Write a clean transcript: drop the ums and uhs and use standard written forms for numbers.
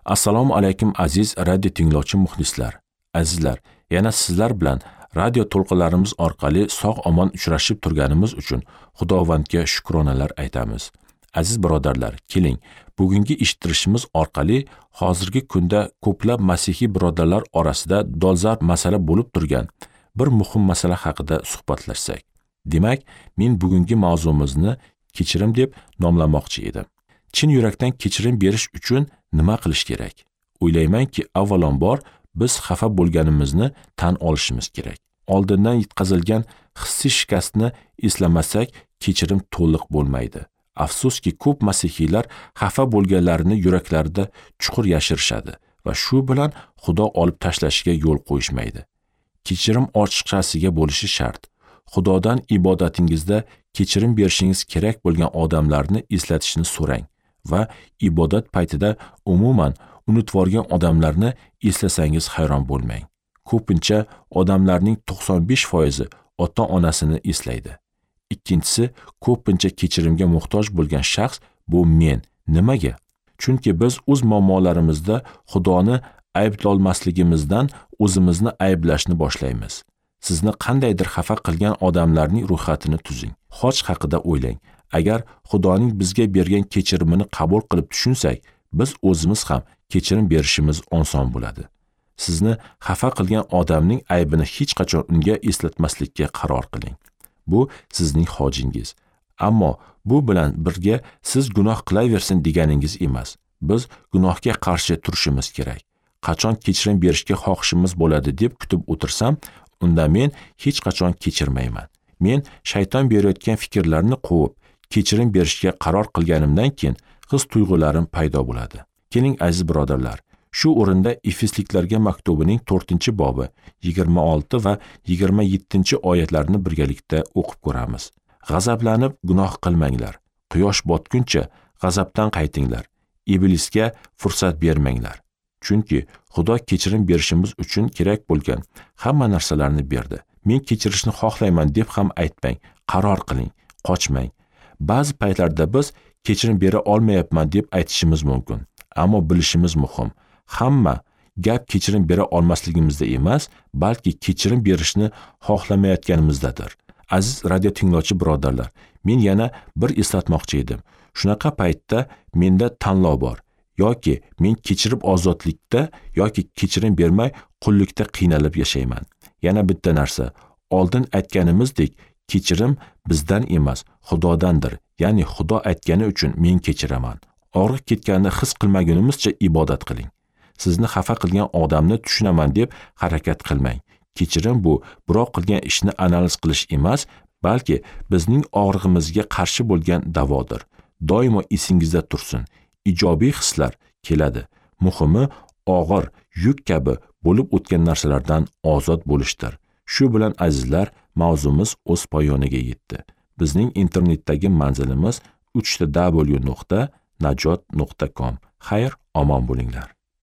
Assalomu alaykum aziz radio tinglovchi muxlislar. Azizlar, yana sizlar bilan radio to'lqinlarimiz orqali sog' omon uchrashib turganimiz uchun Xudovandga shukronalar aytamiz. Aziz birodarlar, keling, bugungi eshittirishimiz orqali hozirgi kunda ko'plab masihiy birodarlar orasida dolzarb masala bo'lib turgan bir muhim masala haqida suhbatlashsak. Demak, men bugungi mavzumizni kechirim deb nomlamoqchi edim. Chin yurakdan kechirim berish uchun nima qilish kerak? O'ylaymanki, avvalambor biz xafa bo'lganimizni tan olishimiz kerak. Oldindan yetkazilgan hissiy shikastni eslamasak, kechirim to'liq bo'lmaydi. Afsuski, ko'p masihiylar xafa bo'lganlarini yuraklarida chuqur yashirishadi va shu bilan Xudo olib tashlashiga yo'l qo'yishmaydi. Kechirim ochiqchasiga bo'lishi shart. Xudodan ibodatingizda kechirim berishingiz kerak bo'lgan odamlarni eslatishni so'rang va ibodat paytida umuman unutvorgan odamlarni eslasangiz hayron bo'lmang. Ko'pincha odamlarning 95% ota-onasini eslaydi. Ikkinchisi, ko'pincha kechirimga muhtoj bo'lgan shaxs bu men. Nimaga? Chunki biz o'z muammolarimizda Xudoni ayblolmasligimizdan o'zimizni ayblashni boshlaymiz. Sizni qandaydir xafa qilgan odamlarning ro'yxatini tuzing. Xoch haqida o'ylang. Agar Xudoning bizga bergan kechirimini qabul qilib tushunsak, biz o'zimiz ham kechirim berishimiz oson bo'ladi. Sizni xafa qilgan odamning aybini hech qachon unga eslatmaslikka qaror qiling. Bu sizning hojingiz. Ammo bu bilan birga siz gunoh qilaversin deganingiz emas. Biz gunohga qarshi turishimiz kerak. Qachon kechirim berishga xohishimiz bo'ladi deb kutib o'tirsam, unda men hech qachon kechirmayman. Men shayton berayotgan fikrlarni quvib, kechirim berishga qaror qilganimdan keyin his tuyg'ularim paydo bo'ladi. Keling aziz birodarlar, shu o'rinda Efesliklarga maktubining 4-bobi 26 va 27-oyatlarni birgalikda o'qib ko'ramiz. G'azablanib gunoh qilmanglar. Quyosh botguncha g'azabdan qaytinglar. Iblisga fursat bermanglar. Chunki Xudo kechirim berishimiz uchun kerak bo'lgan hamma narsalarni berdi. Men kechirishni xohlayman deb ham aytmang, qaror qiling, qochmang. Ba'zi paytlarda biz kechirim bera olmayapman deb aytishimiz mumkin, ammo bilishimiz muhim. Hamma gap kechirim bera olmasligimizda emas, balki kechirim berishni xohlamayotganimizdadir. Aziz radio tinglovchi birodarlar, men yana bir eslatmoqchi edim. Shunaqa paytda menda tanlov bor. Yoki men kechirib ozodlikda, yoki kechirim bermay qullikda qiynalib yashayman. Yana bitta narsa, oldin aytganimizdek, kechirim bizdan emas, Xudodandir. Ya'ni Xudo aytgani uchun men kechiraman. Og'riq ketganini his qilmagunimizcha ibodat qiling. Sizni xafa qilgan odamni tushunaman deb harakat qilmang. Kechirim bu birov qilgan ishni analiz qilish emas, balki bizning og'rig'imizga qarshi bo'lgan davodir. Doimo esingizda tursin. Ijobiy hislar keladi. Muhimi og'ir yuk kabi bo'lib o'tgan narsalardan ozod bo'lishdir. Shu bilan azizlar, mavzumiz o'z poyoniga yetdi. Bizning internetdagi manzilimiz www.najot.com. Xayr, omon bo'linglar.